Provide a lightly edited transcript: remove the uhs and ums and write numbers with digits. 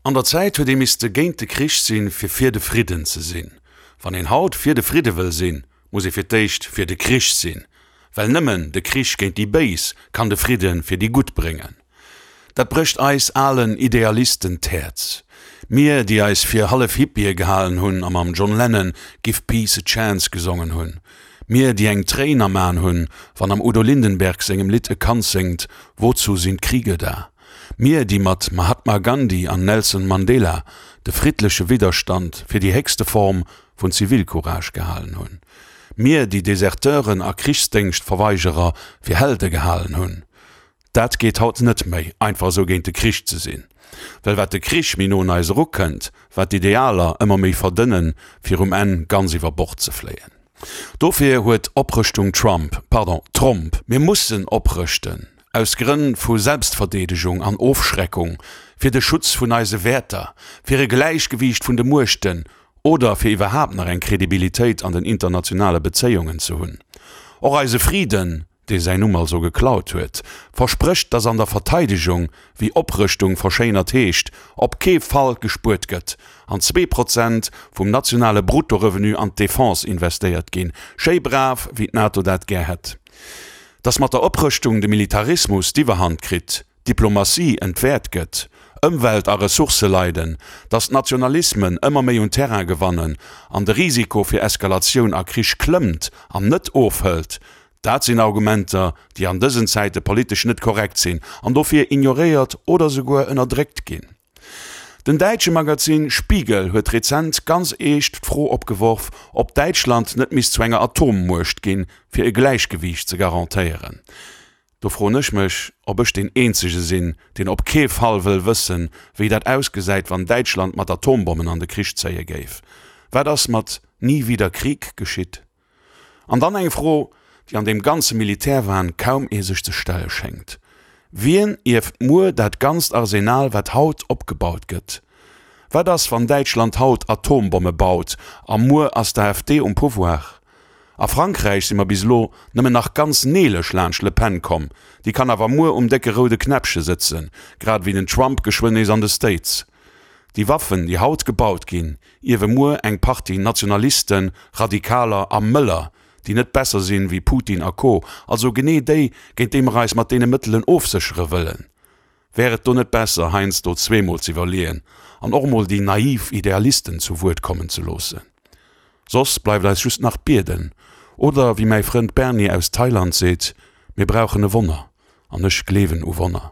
An der Zäit huet ee misste géint de Krich sinn, fir fir de Fridden ze sinn. Wann een haut fir de Fridde wëll sinn, muss ee fir d'éischt fir de Krich sinn. Well nëmmen de Krich géint déi Béis kann de Fridde fir déi Gutt bréngen. Dat brécht eis alen Idealisten d'Häerz. Mir, déi eis fir hallef Hippië gehalen hunn a mam John Lennon Give Peace a Chance gesongen hunn. Mir, déi eng Tréin am Aen hunn, wann am Udo Lindenberg sengem Lidd e Kand séngt, Wozu sind Kriege da? Mir, déi mat Mahatma Gandhi an Nelson Mandela de friddleche Widderstand fir déi héchste Form vun Zivilcourage gehalen hunn. Mir, déi Deserteuren a Krichsdéngschtverweigerer fir Helde gehalen hunn. Dat geet haut net méi, einfach esou géint de Krich ze sinn. Well wat de Krich méi no un eis erukënnt, wat d'Idealer ëmmer méi verdënnen, fir um Enn ganz iwwer Bord ze fléien. Dofir huet Oprëschtung Trump, pardon, Tromp, mir mussen oprëschten, aus Grënn vu Selbstverdeedegung an Ofschreckung, fir de Schutz vun eise Wäerter, fir e Gläichgewiicht vun de Muechten oder fir iwwerhaapt nach eng Kredibilitéit an den internationale Bezéiungen ze hunn. Och eise Friden, dee säin Numm also geklaut huet, versprécht, datt an der Verteidegung, wéi Oprëschtung verschéinert heescht, op kee Fall gespuert gëtt an 2% vum nationale Bruttorevenu an d'Defense investéiert ginn, schéi brav, wéi d'NATO dat gär hätt. Datt mat der Oprëschtung de Militarismus d'Iwwerhand kritt, d'Diplomatie entwäert gëtt, Ëmwelt a Ressourcë leiden, datt d'Nationalismen ëmmer méi un Terrain gewannen an de Risiko fir Eskalatioun a Krich klëmmt an net ofhëlt, dat sinn Argumenter, déi an dësen Zäite politesch net korrekt sinn an dofir ignoréiert oder souguer ënnerdréckt ginn. Den däitsche Magazin Spiegel huet rezent ganz eescht d'Fro opgeworf, ob Däitschland net misst zu enger Atommuecht ginn, fir e Gläichgewiicht ze garantéieren. Do froen ech mech, ob ech deen eenzege sinn, deen op kee Fall wëll wëssen, wéi dat ausgesäit, wann Däitschland mat Atombommen an de Krich zéie géif. Wat ass mat Nie wieder Krieg geschitt? An dann eng Fro, déi an deem ganze Militärwahn kaum ee sech ze stelle schéngt, Wien ierft muer dat ganzt Arsenal, wat haut opgebaut gëtt? Wat ass, wann Däitschland haut Atombomme baut a muer ass d'AfD um Pouvoir? A Frankräich si mer bis elo nëmmen nach ganz neelech laanscht Le Pen komm, déi kann awer muer um décke roude Knäppche sëtzen, grad ewéi den Trump geschwënn nees an de States. Déi Waffen, déi haut gebaut ginn, ierwe muer eng Partie Nationalisten, Radikaler a Mëller, déi net besser sinn wéi Putin a Co, also genee déi, géint déi mer eis mat deene Mëttelen ofséchere wëllen. Wär et do net besser, heiansdo zweemol z'iwwerleeën an och mol déi naiv Idealisten zu Wuert kommen ze loossen? Soss bleift eis just nach bieden, oder wéi mäi Frënd Bernie aus Thailand seet, Mir brauchen e Wonner, an ech gleewen u Wonner.